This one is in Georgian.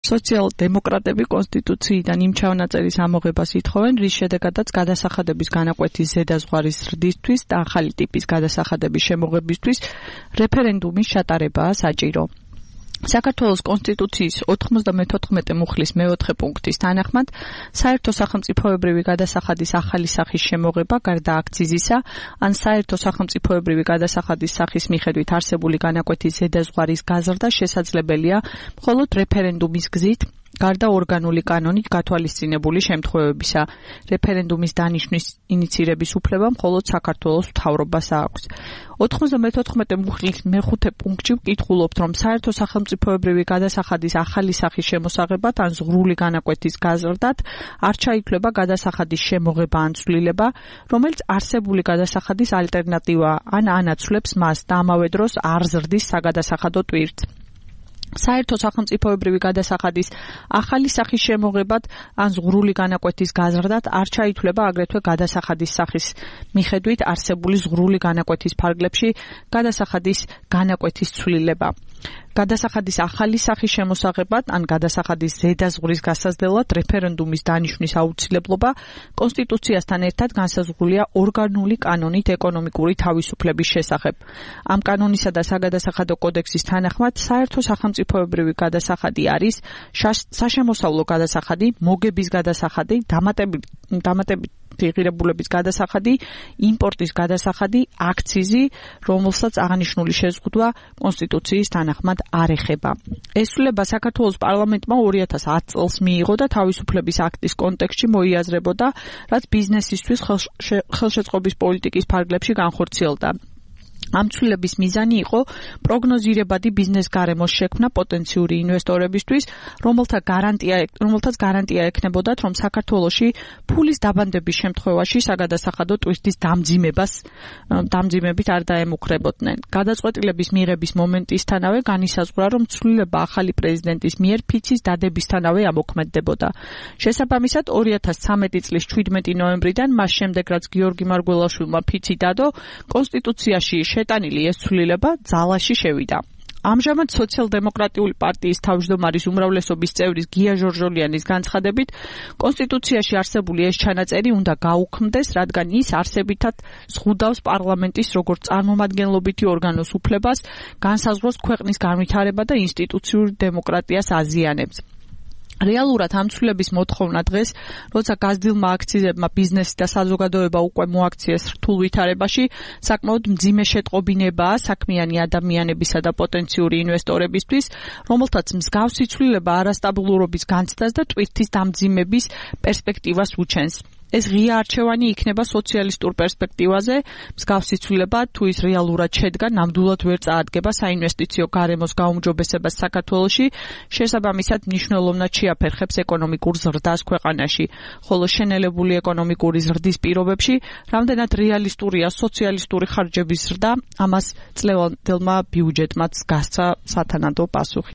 სოციალ-დემოკრატები კონსტიტუციიდან იმ ჩანაწერის ამოღებას ითხოვენ, რის შედეგადაც გადასახადების განაკვეთის ზედაზღვარის ზრდისთვის და ახალი ტიპის გადასახადების შემოღებისთვის რეფერენდუმის ჩატარებაა საჭირო. საქართველოს კონსტიტუციის 94 მუხლის მე-4 პუნქტის თანახმად, საერთო სახელმწიფოებრივი გადასახადის ახალი სახის შემოღება გარდა აქციზისა, ან საერთო სახელმწიფოებრივი გადასახადის სახის მიხედვით არსებული განაკვეთის ზედაზღვარის გაზრდა შესაძლებელია მხოლოდ რეფერენდუმის გზით, გარდა ორგანული კანონით გათვალისწინებული შემთხვევებისა. რეფერენდუმის დანიშვნის ინიცირების უფლება მხოლოდ საქართველოს მთავრობას აქვს. 94 მუხლის მე-5 პუნქტში ვკითხულობთ, რომ საერთო სახელმწიფოებრივი გადასახადის ახალი სახის შემოსაღებად ან ზღვრული განაკვეთის გაზრდად არ ჩაითვლება გადასახადის შემოღება ან ცვლილება, რომელიც არსებული გადასახადის ალტერნატივაა, ან ანაცვლებს მას და ამავე დროს არ ზრდის საგადასახადო ტვირთს. საერთო სახელმწიფოებრივი გადასახადის ახალი სახის შემოღებად ან ზღვრული განაკვეთის გაზრდად არ ჩაითვლება აგრეთვე გადასახადის სახის მიხედვით არსებული ზღვრული განაკვეთის ფარგლებში გადასახადის განაკვეთის ცვლილება. გადასახადის ახალი სახის შემოსაღებად ან გადასახადის ზედაზღვრის გასაზრდელად რეფერენდუმის დანიშვნის აუცილებლობა კონსტიტუციასთან ერთად განსაზღვრულია ორგანული კანონით ეკონომიკური თავისუფლების შესახებ. ამ კანონისა და საგადასახადო კოდექსის თანახმად საერთო სახელმწიფოებრივი გადასახადი არის საშემოსავლო გადასახადი, მოგების გადასახადი, დამატებითი ღირებულების გადასახადი, იმპორტის გადასახადი, აქციზი, რომელსაც აღნიშნული შეზღუდვა კონსტიტუციის თანახმად არ ეხება. ესულება საქართველოს პარლამენტმა 2010 წელს მიიღო და თავისუფლების აქტის კონტექსტში მოიაზრებოდა, რაც ბიზნესისთვის ხელშეწყობის პოლიტიკის ფარგლებში განხორციელდა. ამ ცვლილების მიზანი იყო პროგნოზირებადი ბიზნეს გარემოს შექმნა პოტენციური ინვესტორებისთვის, რომელთაც გარანტია ექნებოდათ, რომ საქართველოში ფულის დაბანდების შემთხვევაში საგადასახადო ტვირთის დამძიმებით არ დაემუქრებოდნენ. გადაწყვეტილების მიღების მომენტისთანავე განისაზღვრა, რომ ცვლილება ახალი პრეზიდენტის მიერ ფიცის დადებისთანავე ამოქმედდებოდა. შესაბამისად, 2013 წლის 17 ნოემბრიდან, მას შემდეგ, რაც გიორგი მარგველაშვილმა ფიცი დადო, კონსტიტუციაში შეტანილი ეს ცვლილება ძალაში შევიდა. ამჟამად სოციალ-დემოკრატიული პარტიის თავმჯდომარის უმრავლესობის წევრის გია ჟორჟოლიანის განცხადებით, კონსტიტუციაში არსებული ეს ჩანაწერი უნდა გაუქმდეს, რადგან ის არსებითად ზღუდავს პარლამენტის როგორც წარმომადგენლობითი ორგანოს უფლებას, განსაზღვროს ქვეყნის განვითარება და ინსტიტუციურ დემოკრატიას აზიანებს. რეალურად ამ ცვლილების მოთხოვნა დღეს, როცა გაზრდილმა აქციზებმა ბიზნესი და საზოგადოება უკვე მოაქციეს რთულ ვითარებაში, საკმაოდ მძიმე შეტყობინებაა საქმიანი ადამიანებისა და პოტენციური ინვესტორებისთვის, რომელთაც მსგავსი ცვლილება არასტაბილურობის განცდას და ტვირთის დამძიმების პერსპექტივას უჩენს. ეს ღია არჩევანი იქნება სოციალისტურ პერსპექტივაზე, მსგავსი ცვლილება თუ ის რეალურად შედგა, ნამდვილად ვერ წაადგება საინვესტიციო გარემოს გაუმჯობესებას საქართველოში, შესაბამისად მნიშვნელოვნად შეაფერხებს ეკონომიკურ ზრდას ქვეყანაში, ხოლო შენელებული ეკონომიკური ზრდის პირობებში, რამდენად რეალისტურია სოციალისტური ხარჯების ზრდა, ამას წლევანდელმა ბიუჯეტმაც გასცა სათანადო პასუხი.